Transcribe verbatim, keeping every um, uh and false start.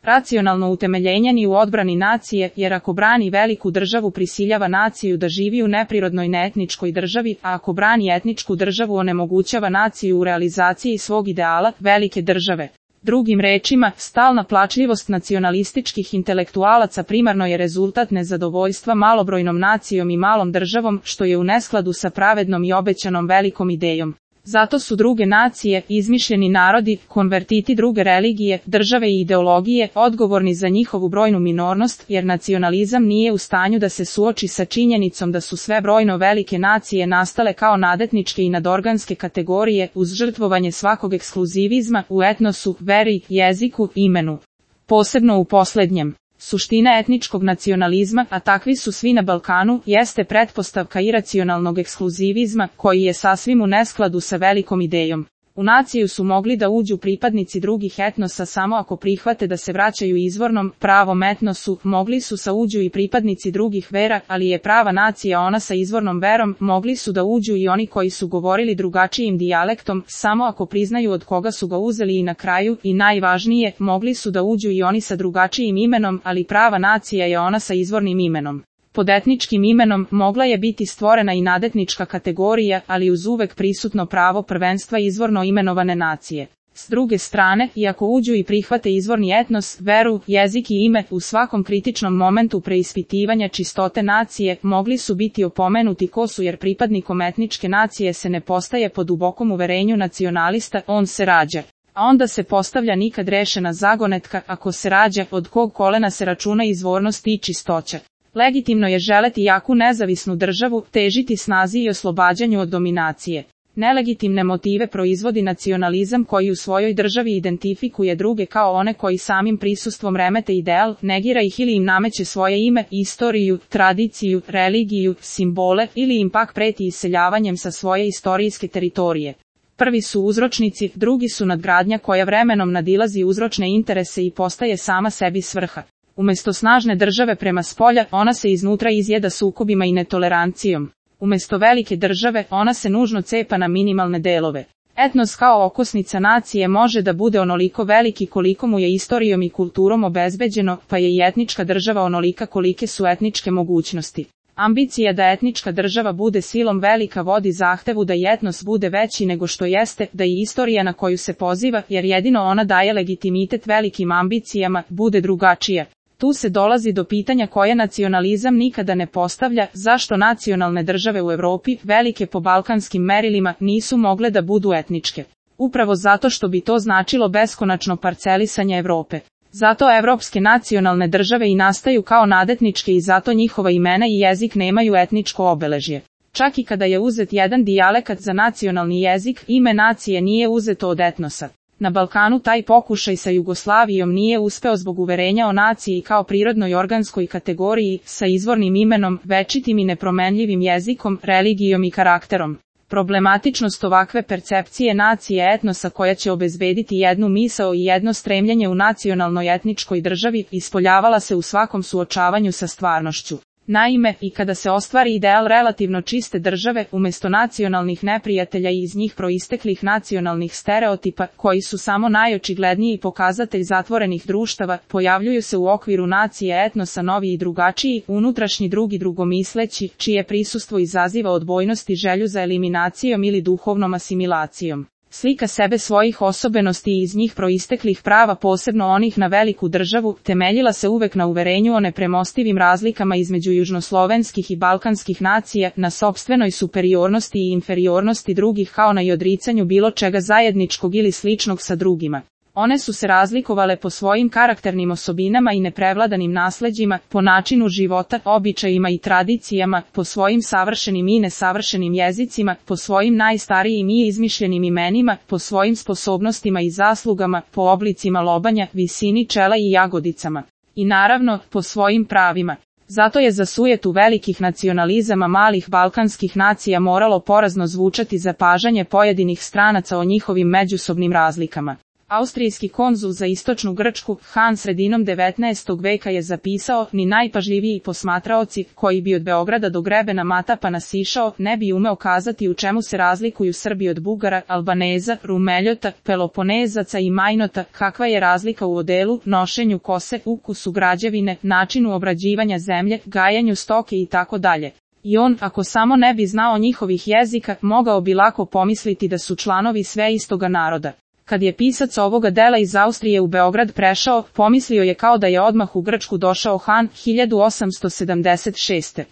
Racionalno utemeljenje ni u odbrani nacije, jer ako brani veliku državu prisiljava naciju da živi u neprirodnoj neetničkoj državi, a ako brani etničku državu onemogućava naciju u realizaciji svog ideala, velike države. Drugim rečima, stalna plačljivost nacionalističkih intelektualaca primarno je rezultat nezadovoljstva malobrojnom nacijom i malom državom, što je u neskladu sa pravednom i obećanom velikom idejom. Zato su druge nacije, izmišljeni narodi, konvertiti druge religije, države i ideologije, odgovorni za njihovu brojnu minornost, jer nacionalizam nije u stanju da se suoči sa činjenicom da su sve brojno velike nacije nastale kao nadetničke i nadorganske kategorije, uz žrtvovanje svakog ekskluzivizma u etnosu, veri, jeziku, imenu. Posebno u posljednjem. Suština etničkog nacionalizma, a takvi su svi na Balkanu, jeste pretpostavka iracionalnog ekskluzivizma, koji je sasvim u neskladu sa velikom idejom. U naciju su mogli da uđu pripadnici drugih etnosa samo ako prihvate da se vraćaju izvornom, pravom etnosu, mogli su sa uđu i pripadnici drugih vera, ali je prava nacija ona sa izvornom verom, mogli su da uđu i oni koji su govorili drugačijim dijalektom, samo ako priznaju od koga su ga uzeli i na kraju, i najvažnije, mogli su da uđu i oni sa drugačijim imenom, ali prava nacija je ona sa izvornim imenom. Pod etničkim imenom mogla je biti stvorena i nadetnička kategorija, ali uz uvek prisutno pravo prvenstva izvorno imenovane nacije. S druge strane, iako uđu i prihvate izvorni etnos, veru, jezik i ime, u svakom kritičnom momentu preispitivanja čistote nacije, mogli su biti opomenuti ko su, jer pripadnikom etničke nacije se ne postaje po dubokom uverenju nacionalista, on se rađa. A onda se postavlja nikad rešena zagonetka, ako se rađa, od kog kolena se računa izvornost i čistoća. Legitimno je želeti jaku nezavisnu državu, težiti snazi i oslobađanju od dominacije. Nelegitimne motive proizvodi nacionalizam koji u svojoj državi identifikuje druge kao one koji samim prisustvom remete ideal, negira ih ili im nameće svoje ime, istoriju, tradiciju, religiju, simbole ili im pak preti iseljavanjem sa svoje istorijske teritorije. Prvi su uzročnici, drugi su nadgradnja koja vremenom nadilazi uzročne interese i postaje sama sebi svrha. Umesto snažne države prema spolja, ona se iznutra izjeda sukobima i netolerancijom. Umesto velike države, ona se nužno cepa na minimalne delove. Etnos kao okosnica nacije može da bude onoliko veliki koliko mu je istorijom i kulturom obezbeđeno, pa je i etnička država onolika kolike su etničke mogućnosti. Ambicija da etnička država bude silom velika vodi zahtevu da i etnos bude veći nego što jeste, da i istorija na koju se poziva, jer jedino ona daje legitimitet velikim ambicijama, bude drugačija. Tu se dolazi do pitanja koje nacionalizam nikada ne postavlja, zašto nacionalne države u Evropi, velike po balkanskim merilima, nisu mogle da budu etničke. Upravo zato što bi to značilo beskonačno parcelisanje Evrope. Zato evropske nacionalne države i nastaju kao nadetničke i zato njihova imena i jezik nemaju etničko obeležje. Čak i kada je uzet jedan dijalekat za nacionalni jezik, ime nacije nije uzeto od etnosa. Na Balkanu taj pokušaj sa Jugoslavijom nije uspeo zbog uverenja o naciji kao prirodnoj organskoj kategoriji, sa izvornim imenom, večitim i nepromenljivim jezikom, religijom i karakterom. Problematičnost ovakve percepcije nacije etnosa koja će obezbediti jednu misao i jedno stremljenje u nacionalnoj etničkoj državi ispoljavala se u svakom suočavanju sa stvarnošću. Naime, i kada se ostvari ideal relativno čiste države, umjesto nacionalnih neprijatelja i iz njih proisteklih nacionalnih stereotipa, koji su samo najočigledniji pokazatelj zatvorenih društava, pojavljuju se u okviru nacije etnosa novi i drugačiji, unutrašnji drugi drugomisleći, čije prisustvo izaziva odbojnost i želju za eliminacijom ili duhovnom asimilacijom. Slika sebe svojih osobenosti i iz njih proisteklih prava, posebno onih na veliku državu, temeljila se uvek na uverenju o nepremostivim razlikama između južnoslovenskih i balkanskih nacija, na sopstvenoj superiornosti i inferiornosti drugih kao na i odricanju bilo čega zajedničkog ili sličnog sa drugima. One su se razlikovale po svojim karakternim osobinama i neprevladanim nasleđima, po načinu života, običajima i tradicijama, po svojim savršenim i nesavršenim jezicima, po svojim najstarijim i izmišljenim imenima, po svojim sposobnostima i zaslugama, po oblicima lobanja, visini čela i jagodicama. I naravno, po svojim pravima. Zato je za sujetu velikih nacionalizama malih balkanskih nacija moralo porazno zvučati zapažanje pojedinih stranaca o njihovim međusobnim razlikama. Austrijski konzul za istočnu Grčku, Han sredinom devetnaestog veka je zapisao, ni najpažljiviji posmatraoci, koji bi od Beograda do grebena Matapana sišao, ne bi umeo kazati u čemu se razlikuju Srbi od Bugara, Albaneza, Rumeljota, Peloponezaca i Majnota, kakva je razlika u odelu, nošenju kose, ukusu građevine, načinu obrađivanja zemlje, gajanju stoke i tako dalje. I on, ako samo ne bi znao njihovih jezika, mogao bi lako pomisliti da su članovi sve istoga naroda. Kad je pisac ovoga dela iz Austrije u Beograd prešao, pomislio je kao da je odmah u Grčku došao Han, hiljadu osamsto sedamdeset šeste.